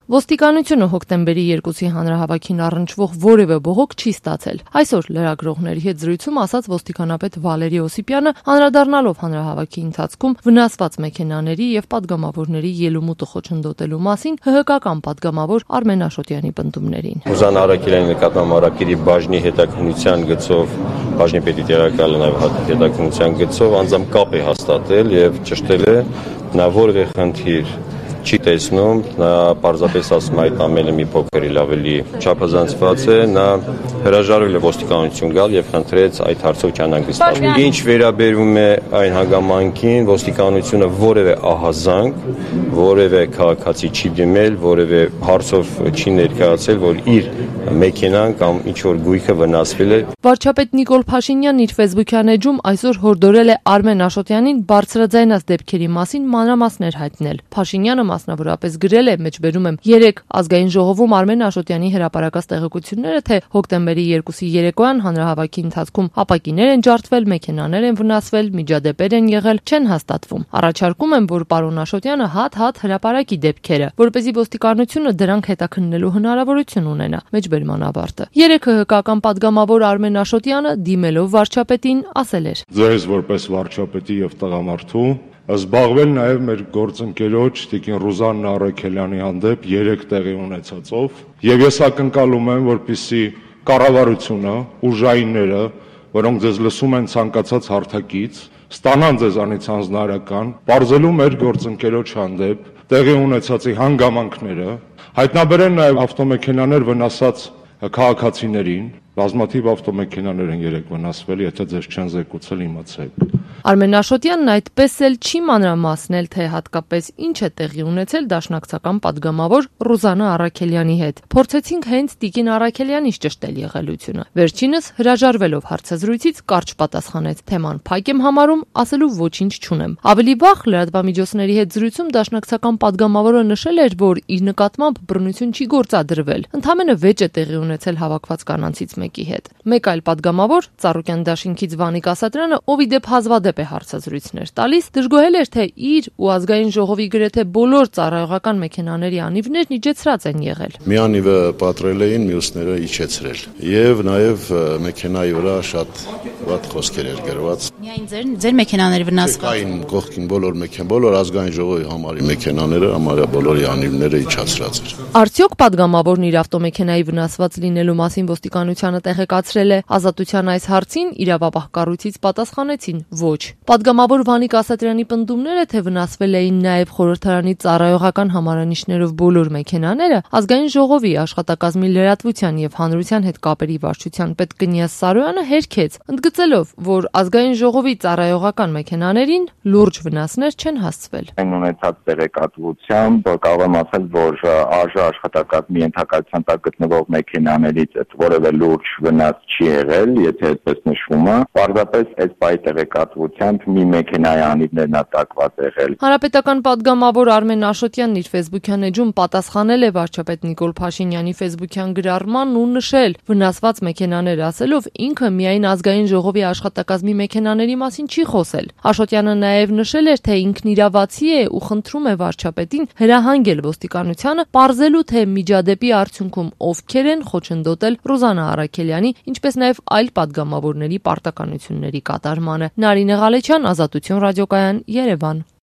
Ոստիկանությունը հոկտեմբերի 2-ի հանրահավաքին առնչվող որևէ բողոք չի ստացել։ Այսօր լրագրողների հետ զրույցում ասաց ոստիկանապետ Վալերի Օսիպյանը, անդրադառնալով հանրահավաքի ընթացքում վնասված մեքենաների եւ պատգամավորների ելումուտը խոչընդոտելու մասին ՀՀԿ-ական պատգամավոր Արմեն Աշոտյանի պնդումներին։ Ռուզան Արաքելյանի նկատմամբ Արաքելի բաժնի հետաքննության գծով, բաժնի պետի տեղակալը նաեւ հետաքննության գծով անձամբ կապ է հաստատել եւ ճշտել է, նա որևէ խնդիր չի տեսնում, նա պարզապես ասում այդ ամենը մի փոքր ավելի չափազանցված է, նա հրաժարվել է ոստիկանություն գալ եւ խնդրեց այդ հարցով չանհանգստանալ։ Ինչ վերաբերում է այն հանգամանքին, ոստիկանությունը որևէ ահազանգ, որևէ քաղաքացի չի դիմել, որևէ հարցով չի ներկայացել, որ իր մեքենան կամ ինչ որ գույքը վնասվել է։ Վարչապետ Նիկոլ Փաշինյանն իր Facebook-յան էջում այսօր հորդորել է Արմեն Աշոտյանին բարձրաձայնած դեպքերի մասին մանրամասներ հայտնել։ Փաշինյանը մասնավորապես գրել է, մեջբերում եմ, 3 ազգային ժողովում Արմեն Աշոտյանի հրապարակած տեղեկությունները, թե հոկտեմբերի 2-ի երեկոյան հանրահավաքի ընթացքում ապակիներ են ջարդվել, մեքենաներ են վնասվել, միջադեպեր են եղել, չեն հաստատվում։ Առաջարկում եմ, որ պարոն Աշոտյանը հատ-հատ հրապարակի դեպքերը, որպեսզի ոստիկանությունը դրանք հետաքննելու հնարավորություն ունենա։ Մեջբերման ավարտը։ 3 ՀՀԿ-ական պատգամավոր Արմեն Աշոտյանը դիմելով վարչապետին ասել էր. Ձեզ որպես վարչապետի եւ տղամարդու զբաղվել նաև մեր գործընկերոջ տիկին Ռուզան Արաքելյանի հանդեպ 3 տեղի ունեցածով եւ ես ակնկալում եմ, որպեսզի կառավարությունը, ուժայինները, որոնք ձեզ լսում են ցանկացած հարթակից, ստանան ձեզանից հանձնարարական, բարձելու մեր գործընկերոջ հանդեպ տեղի ունեցածի հանգամանքները, հայտնաբերեն նաև ավտոմեքենաներ վնասած քաղաքացիներին, բազմաթիվ ավտոմեքենաներ են 3 վնասվել, եթե ձեզ չեն զեկուցել, իմացեք։ Արմեն Աշոտյանն այդպես էլ չի մանրամասնել, թե հատկապես ինչ է տեղի ունեցել դաշնակցական պատգամավոր Ռուզանա Արաքելյանի հետ։ Փորձեցինք հենց տիկին Արաքելյանից ճշտել եղելությունը։ Վերջինս հրաժարվելով հարցազրույցից կարճ պատասխանեց. թեման փակ եմ համարում, ասելու ոչինչ չունեմ։ Ավելի վաղ լրատվամիջոցների հետ զրույցում դաշնակցական պատգամավորը նշել էր, որ իր նկատմամբ բռնություն չի գործադրվել։ Ընդամենը վեճ է տեղի ունեցել հավաքված կանանցից մեկի հետ։ Մեկ այլ պատգամավոր, Ծառուկյան դաշինքից Վանիկ Ասատրյանը, ով ի դեպ հազվադեպ է հարցազրույցներ տալիս, դժգոհել էր, թե իր ու ազգային ժողովի գրեթե բոլոր ծառայողական մեքենաների անիվներն իջեցրած են եղել։ Մի անիվը պատրել էին, մյուսները իջեցրել։ Եվ նաև մեքենայի վրա շատ վատ խոսքեր էր գրված։ Միայն ձեր մեքենաները վնասված։ Այն կողքին բոլոր ազգային ժողովի համարի մեքենաները, համարյա բոլորի անիվները իջացրած էր։ Արդյոք պատգամավորն իր ավտոմեքենայի վնասված լինելու մասին ոստիկանությանը տեղեկացրել է Ազատության այս հարցին, իրավապահ կառույցից պատասխանեցին ոչ։ Պատգամավոր Վանիկ Ասատրյանի պնդումները, թե վնասվել էին նաև խորհրդարանի ծառայողական համարանիշներով բոլոր մեքենաները, ազգային ժողովի աշխատակազմի լրատվության եւ հանրության հետ կապերի վարչության պետ Կնյազ Սարոյանը հերքեց, ընդգծելով, որ ազգային ժողովի ծառայողական մեքենաներին լուրջ վնասներ չեն հասցվել։ Այն ունեցած տեղեկատվությամբ կարող եմ ասել, որ ԱԺ աշխատակազմի ենթակայության տակ գտնվող մեքենաներից որևէ լուրջ վնաս չի եղել, եթե այդպես նշվում է, պարզապես այս պայի տեղեկատվությամբ մի մեքենայի անիվներն ատակված եղել։ Հանրապետական պատգամավոր Արմեն Աշոտյանն իր Facebook-յան էջում պատասխանել է վարչապետ Նիկոլ Փաշինյանի Facebook-յան գրառմանն ու նշել վնասված մեքենաներ ասելով ինքը միայն ազգային ժողովի աշխատակազմի մեքենաների մասին չի խոսել։ Աշոտյանը նաև նշել էր, թե ինքն իրավացի է ու խնդրում է վարչապետին հրահանգել ոստիկանությանը պարզելու, թե միջադեպի արդյունքում ովքեր են խոչընդոտել Ռուզանա Արաքելյանի, ինչպես նաև այլ պատգամավորների պարտականությունների կատարմանը։ Նարինե Ղալեչյան, Ազատություն ռադիոկայան, Երևան։